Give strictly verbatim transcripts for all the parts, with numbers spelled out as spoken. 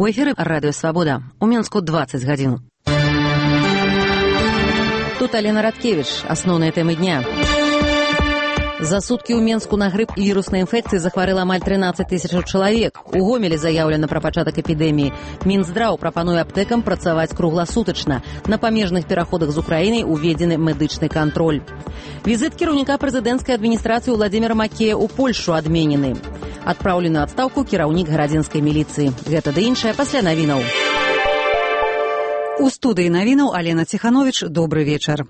У эфіры радыё Свабода. У Менску дваццаць гадзін. Тут Алена Радкевіч. Асноўныя тэмы дня. За суткі ў Менску на грып і віруснай інфекцыі захварэла амаль трынаццаць тысяч чалавек. У Гомелі заяўлена пра пачатак эпідэміі. Мінздраў прапануе аптэкам працаваць кругласутачна. На памежных пераходах з Украінай уведзены медычны кантроль. Візіт кіраўніка прэзідэнцкай адміністрацыі Владзіміра Макея ў Польшу адменены. Адпраўлены на адстаўку кіраўнік гарадзенскай міліцыі. Гэта ды іншае пасля навінаў. У студыі навінаў Алена Ціхановіч. Добры вечар.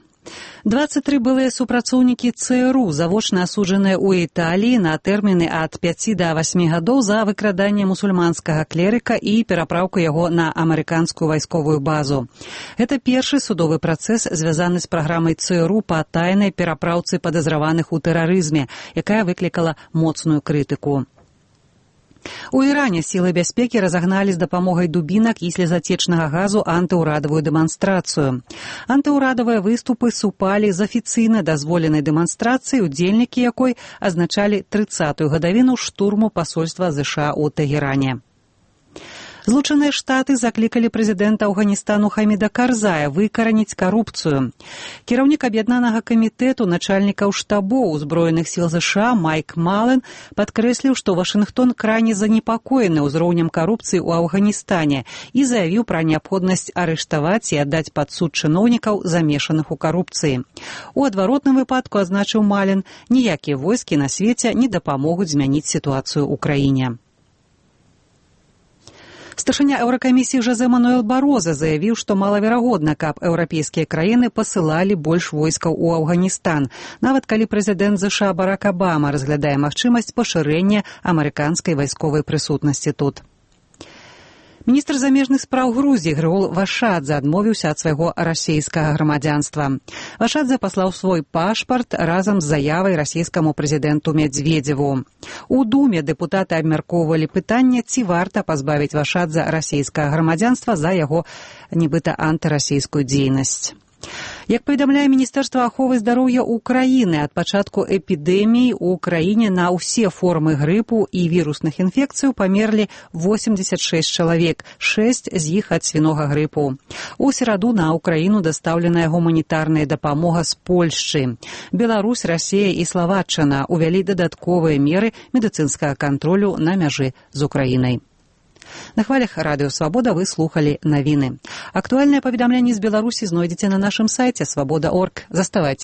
дваццаць тры былыя супрацоўнікі ЦРУ завочна асуджаныя ў Італіі на тэрміны ад пяці да васьмі гадоў за выкраданне мусульманскага клерыка і перапраўку яго на амерыканскую вайсковую базу. Гэта першы судовы працэс, звязаны з праграмай ЦРУ па тайнай перапраўцы падазраваных у тэрарызме, якая выклікала моцную крытыку. У Іране сілы бяспекі разагналі з дапамогай дубінак і слезацечнага газу антыўрадавую дэманстрацыю. Антыўрадавыя выступы супалі з афіцыйна дазволенай дэманстрацыяй, удзельнікі якой азначалі трыццатую гадавіну штурму пасольства ЗША ў Тэгеране. Злучаныя Штаты заклікалі прэзідэнта Афганістану Хаміда Карзая выкараніць карупцыю. Кіраўнік аб'яднанага камітэту начальнікаў штабоў узброеных сіл ЗША Майк Мален падкрэсліў, што Вашынгтон крайне занепакоены ўзроўнем карупцыі ў Афганістане і заявіў пра неабходнасць арыштаваць і аддаць пад суд чыноўнікаў, замешаных у карупцыі. У адваротным выпадку, азначыў Мален, ніякія войскі на свеце не дапамогуць змяніць сітуацыю ў краіне. Старшыня Еўракамісіі Жозе Мануэл Бароза заявіў, што малаверагодна, каб еўрапейскія краіны пасылалі больш войскаў у Афганістан, нават калі прэзідэнт ЗША Барак Абама разглядае магчымасць пашырэння амерыканскай вайсковай прысутнасці тут. Міністр замежных спраў Грузіі Григол Вашадзе адмовіўся ад свайго расейскага грамадзянства. Вашадзе паслаў свой пашпарт разам з заявай расійскаму прэзідэнту Медведзеву. У Думе дэпутаты абмяркоўвалі пытанне, ці варта пазбавіць Вашадзе расійскага грамадзянства за яго нібыта антырасійскую дзейнасць. Як паведамляе Міністэрства аховы здароўя Украіны, ад пачатку эпідэміі ў краіне на ўсе формы грыпу і вірусных інфекцыяў памерлі восемьдесят шесть чалавек, шэсць з іх ад свінога грыпу. У сераду на Украіну дастаўленая гуманітарная дапамога з Польшчы. Беларусь, Расія і Славаччына увялі дадатковыя меры медыцынскага кантролю на мяжы з Украінай. На хвалях радыё Свабода вы слухалі навіны. Актуальныя паведамленні з Беларусі знойдзеце на нашым сайце свабода точка орг. Заставайцеся